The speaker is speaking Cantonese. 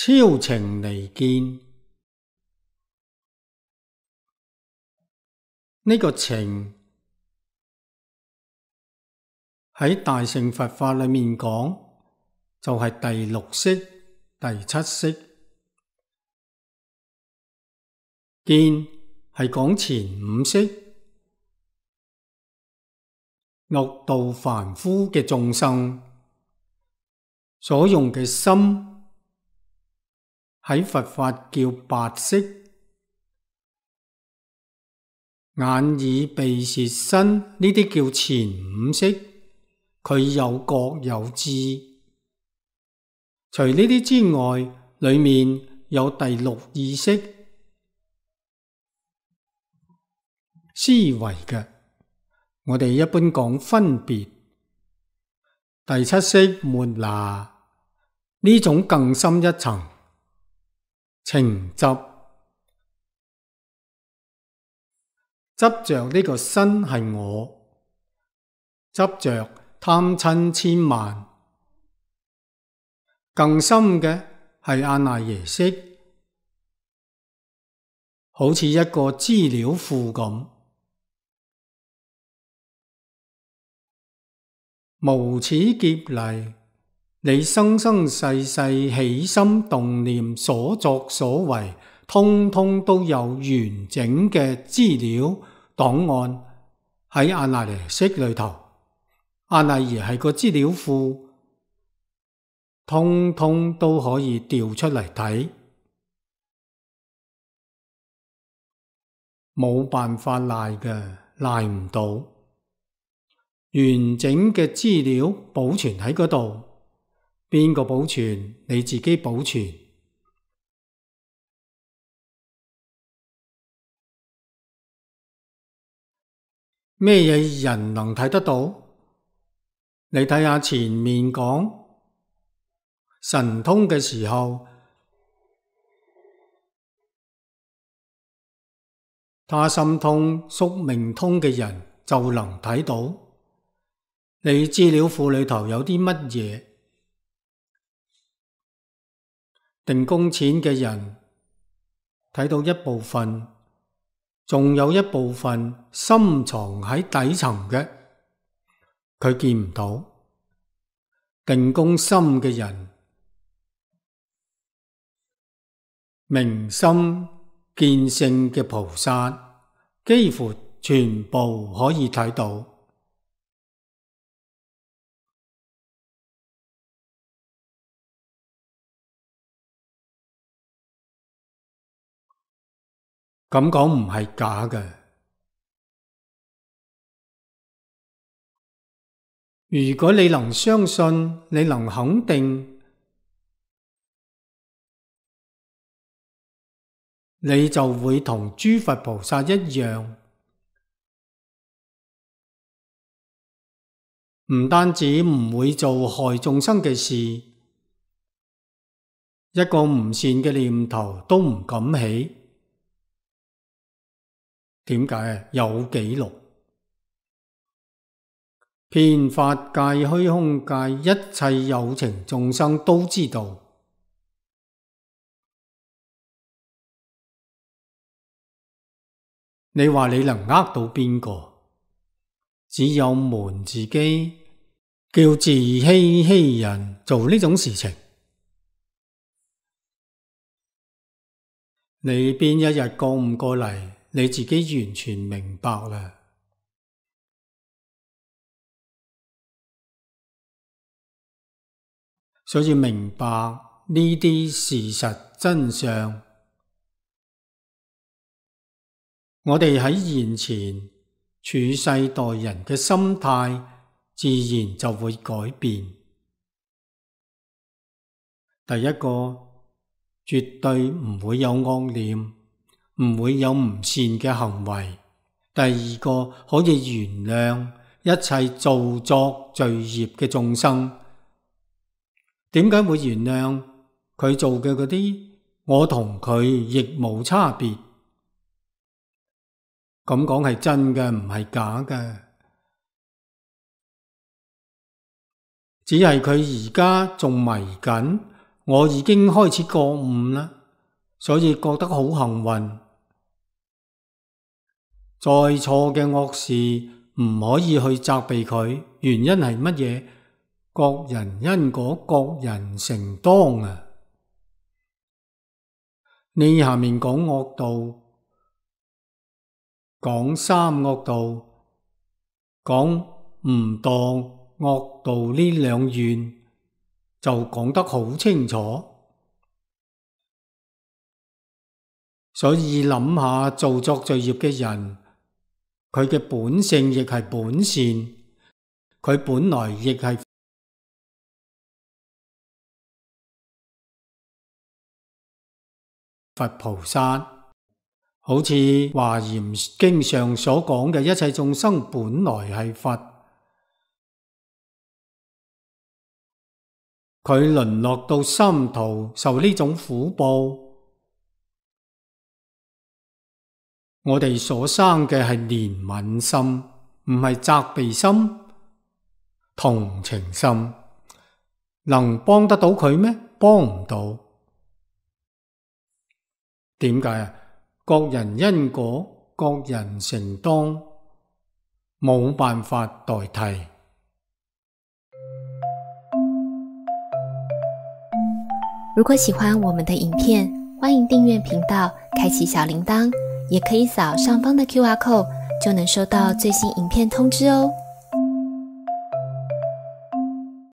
超情離見，呢個情喺大乘佛法裏面講，就係第六識、第七識。見係講前五識，六道凡夫嘅眾生所用嘅心，喺佛法叫八識。眼耳鼻舌身呢啲叫前五識，佢有覺有知。除呢啲之外，裏面有第六意識，思維嘅，我哋一般講分別。第七識末那，呢種更深一層，情執。執着呢個身係我，執着貪嗔痴慢。更深嘅係阿賴耶識，好似一個資料庫咁，無始劫嚟，你生生世世起心動念所作所為，通通都有完整嘅資料檔案喺阿賴耶識裏頭。阿賴耶係個資料庫，通通都可以調出嚟睇，冇辦法賴嘅，賴唔到。完整嘅資料保存喺嗰度，邊個保存？你自己保存。咩嘢人能睇得到？你睇下前面講神通嘅時候，他心通、宿命通嘅人就能睇到你資料庫裏頭有啲乜嘢。定公淺嘅人睇到一部分，仲有一部分深藏喺底層嘅，佢見唔到。定公深嘅人，明心見性嘅菩薩，幾乎全部可以睇到。咁講唔係假嘅。如果你能相信，你能肯定，你就會同諸佛菩薩一樣，唔單止唔會做害眾生嘅事，一個唔善嘅念頭都唔敢起。點解？有記錄。遍法界、虛空界，一切有情眾生都知道。你話你能呃到邊個？只有瞞自己，叫自欺欺人，做呢種事情。你邊一日過唔過嚟，你自己完全明白啦。所以明白呢啲事實真相，我哋喺現前處世待人嘅心態，自然就會改變。第一個，絕對唔會有惡念，唔會有唔善嘅行為。第二個，可以原諒一切造作罪業嘅眾生。點解會原諒佢做嘅嗰啲？我同佢亦無差別。咁講係真嘅，唔係假嘅。只係佢而家仲迷緊，我已經開始覺悟啦，所以覺得好幸運。再錯嘅惡事唔可以去責備佢，原因係乜嘢？各人因果，各人承當啊！呢下面講惡道，講三惡道，講唔當惡道呢兩願，就講得好清楚。所以諗下做作罪業嘅人，佢嘅本性亦係本善，佢本來亦係佛菩薩，好似華嚴經上所講嘅，一切眾生本來係佛，佢淪落到三途受呢種苦報，我哋所生嘅係憐憫心，唔係責備心、同情心，能幫得到佢咩？幫唔到。點解啊？各人因果，各人承當，冇辦法代替。如果喜歡我們的影片，歡迎訂閱頻道，開啟小鈴鐺，也可以掃上方的QR code，就能收到最新影片通知哦。